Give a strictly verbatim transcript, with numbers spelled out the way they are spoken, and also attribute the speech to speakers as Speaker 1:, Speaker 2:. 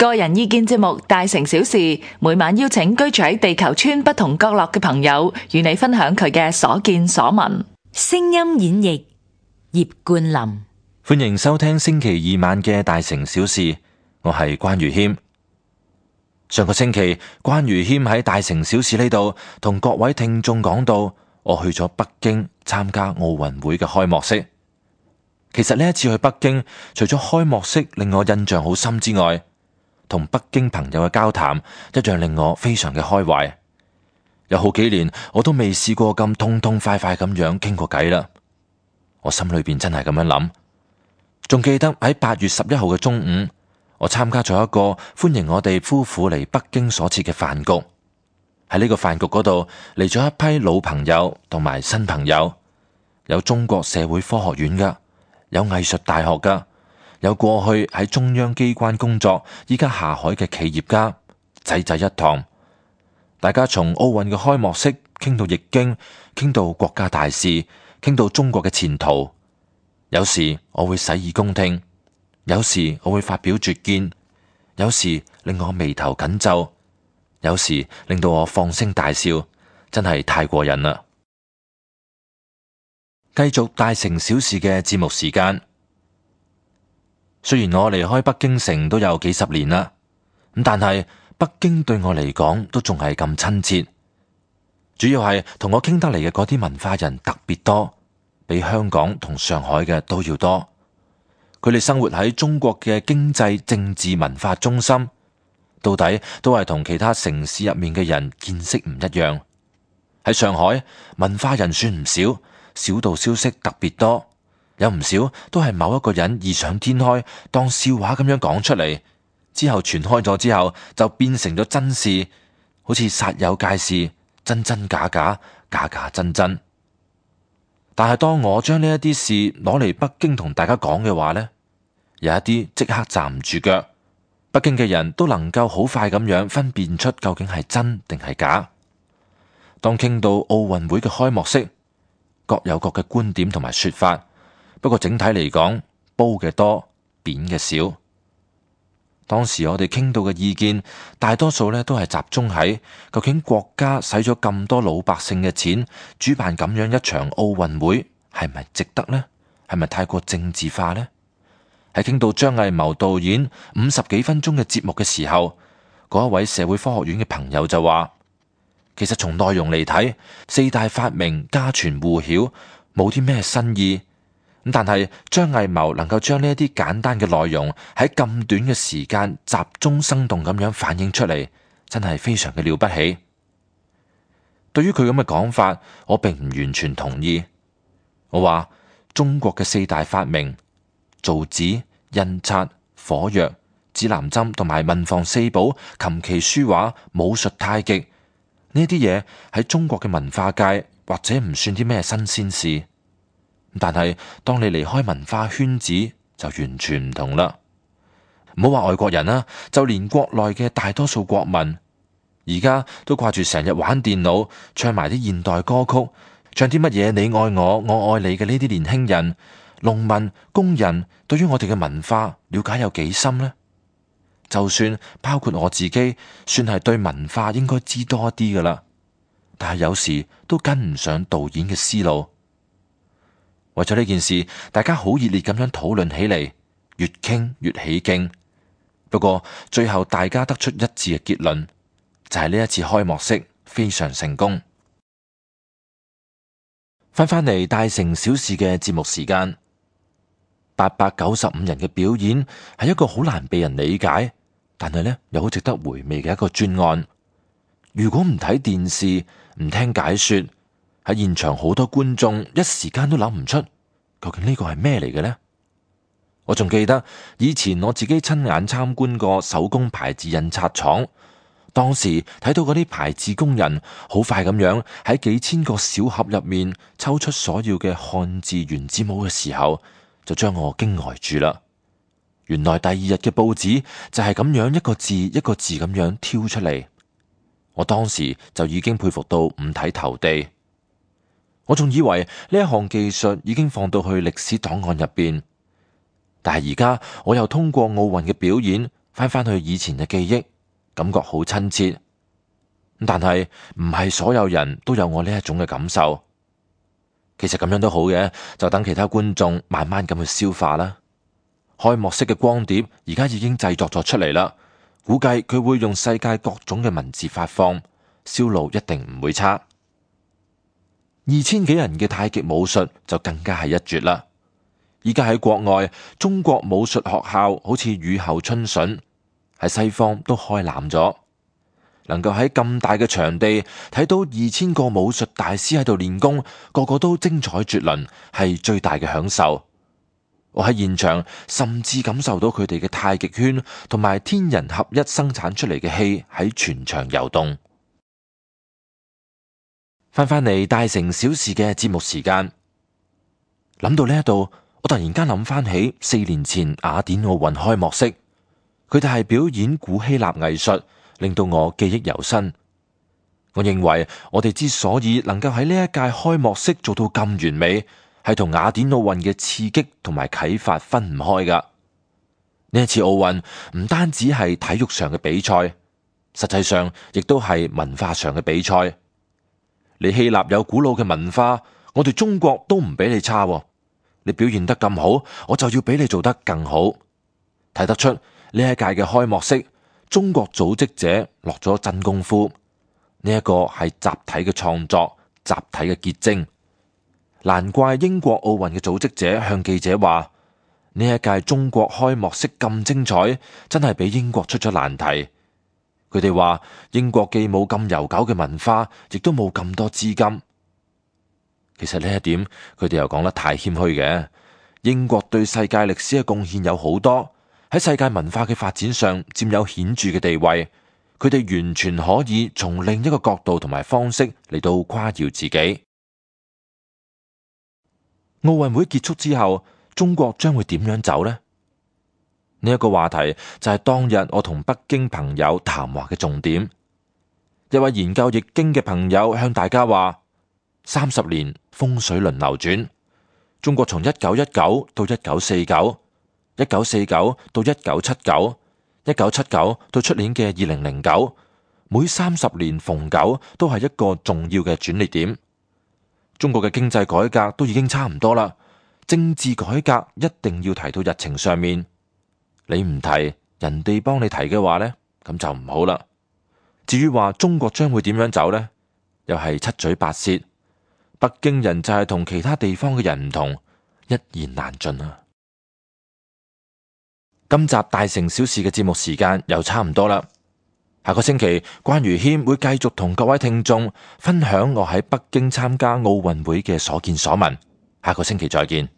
Speaker 1: 個人意見節目《大成小事》，每晚邀請居住喺地球村不同角落嘅朋友，與你分享佢嘅所見所聞。
Speaker 2: 聲音演繹葉冠霖。
Speaker 3: 歡迎收聽星期二晚嘅《大成小事》，我係關如謙。上個星期，關如謙喺《大成小事》呢度同各位聽眾講到，我去咗北京參加奧運會嘅開幕式。其實呢一次去北京，除咗開幕式令我印象好深之外，同北京朋友嘅交談一樣令我非常嘅開懷。有好幾年我都未試過咁痛痛快快咁樣傾過偈啦。我心裏邊真係咁樣諗。仲記得喺八月十一號嘅中午，我參加咗一個歡迎我哋夫婦嚟北京所設嘅飯局。喺呢個飯局嗰度嚟咗一批老朋友同埋新朋友，有中國社會科學院噶，有藝術大學噶，有過去喺中央機關工作依家下海嘅企業家，濟濟一堂。大家從奧運嘅開幕式傾到易經，傾到國家大事，傾到中國嘅前途。有時我會洗耳恭聽，有時我會發表拙見，有時令我眉頭緊皺，有時令到我放聲大笑，真係太過癮啦！繼續大成小事嘅節目時間。雖然我離開北京城都有幾十年啦，咁但係北京對我嚟講都仲係咁親切。主要係同我傾得嚟嘅嗰啲文化人特別多，比香港同上海嘅都要多。佢哋生活喺中國嘅經濟、政治、文化中心，到底都係同其他城市入面嘅人見識唔一樣。喺上海，文化人算唔少，小道消息特別多。有唔少都係某一個人異想天開，當笑話咁樣講出嚟，之後傳開咗之後就變成咗真事，好似煞有介事，真真假假，假假真真。但係當我將呢一啲事攞嚟北京同大家講嘅話呢，有一啲即刻站唔住腳，北京嘅人都能夠好快咁樣分辨出究竟係真定係假。當傾到奧運會嘅開幕式，各有各嘅觀點同埋說法。不過整體嚟講，褒嘅多，貶嘅少。當時我哋傾到嘅意見，大多數咧都係集中喺究竟國家使咗咁多老百姓嘅錢，主辦咁樣一場奧運會，係咪值得呢？係咪太過政治化呢？喺傾到張藝謀導演五十幾分鐘嘅節目嘅時候，嗰一位社會科學院嘅朋友就話，其實從內容嚟睇，四大發明家傳戶曉，冇啲咩新意。咁但係張藝謀能夠將呢一啲簡單嘅內容喺咁短嘅時間集中生動咁樣反映出嚟，真係非常嘅了不起。對於佢咁嘅講法，我並唔完全同意。我話中國嘅四大發明，造紙、印刷、火藥、指南針同埋文房四寶、琴棋書畫、武術太極，呢啲嘢喺中國嘅文化界或者唔算啲咩新鮮事。但係當你離開文化圈子就完全唔同啦。唔好話外國人啦，就連國內嘅大多數國民而家都掛住成日玩電腦，唱埋啲現代歌曲，唱啲乜嘢你愛我我愛你嘅呢啲年輕人、農民、工人，對於我哋嘅文化了解有幾深呢？就算包括我自己，算係對文化應該知多一啲噶啦，但係有時都跟唔上導演嘅思路。為咗呢件事，大家好熱烈咁樣討論起嚟，越傾越起勁。不過最後大家得出一致嘅結論，就係呢一次開幕式非常成功。翻返嚟大成小事嘅節目時間，八百九十五人嘅表演係一個好難被人理解，但係呢又好值得回味嘅一個專案。如果唔睇電視，唔聽解說，喺現場好多觀眾一時間都諗唔出究竟呢個係咩嚟嘅呢？我仲記得以前我自己親眼參觀過手工牌字印刷廠，當時睇到嗰啲牌字工人好快咁樣喺幾千個小盒入面抽出所要嘅漢字原字母嘅時候，就將我驚呆住啦。原來第二日嘅報紙就係咁樣一個字一個字咁樣挑出嚟，我當時就已經佩服到五體投地。我仲以為呢一項技術已經放到去歷史檔案入邊，但係而家我又通過奧運嘅表演，翻返去以前嘅記憶，感覺好親切。但係唔係所有人都有我呢一種嘅感受。其實咁樣都好嘅，就等其他觀眾慢慢咁去消化啦。開幕式嘅光碟而家已經製作咗出嚟啦，估計佢會用世界各種嘅文字發放，銷路一定唔會差。二千幾人嘅太極武術就更加係一絕啦。依家喺國外，中國武術學校好似雨後春筍，喺西方都開攬咗。能夠喺咁大嘅場地睇到二千個武術大師喺度練功，個個都精彩絕倫，係最大嘅享受。我喺現場甚至感受到佢哋嘅太極圈同埋天人合一生產出嚟嘅氣喺全場游動。翻返嚟大城小事嘅節目時間，諗到呢一度，我突然間諗翻起四年前雅典奧運開幕式，佢哋係表演古希臘藝術，令到我記憶猶新。我認為我哋之所以能夠喺呢一屆開幕式做到咁完美，係同雅典奧運嘅刺激同埋啟發分唔開噶。呢一次奧運唔單止係體育上嘅比賽，實際上亦都係文化上嘅比賽。你希臘有古老嘅文化，我哋中國都唔比你差。你表現得咁好，我就要比你做得更好。睇得出呢一屆嘅開幕式，中國組織者落咗真功夫。呢一個係集體嘅創作，集體嘅結晶。難怪英國奧運嘅組織者向記者話：呢一屆中國開幕式咁精彩，真係俾英國出咗難題。佢哋話英國既冇咁悠久嘅文化，亦都冇咁多資金。其實呢一點，佢哋又講得太謙虛嘅。英國對世界歷史嘅貢獻有好多，喺世界文化嘅發展上佔有顯著嘅地位。佢哋完全可以從另一個角度同埋方式嚟到誇耀自己。奧運會結束之後，中國將會點樣走呢？呢一個話題就係當日我同北京朋友談話嘅重點。一位研究易經嘅朋友向大家話：三十年風水輪流轉，中國從一九一九到一九四九，一九四九到一九七九，一九七九到出年嘅二零零九，每三十年逢九都係一個重要嘅轉捩點。中國嘅經濟改革都已經差唔多啦，政治改革一定要提到日程上面。你唔提，人哋幫你提嘅話呢，咁就唔好啦。至於話中國將會點樣走呢？又係七嘴八舌。北京人就係同其他地方嘅人唔同，一言難盡啊！今集大城小事嘅節目時間又差唔多啦。下個星期關於謙會繼續同各位聽眾分享我喺北京參加奧運會嘅所見所聞。下個星期再見。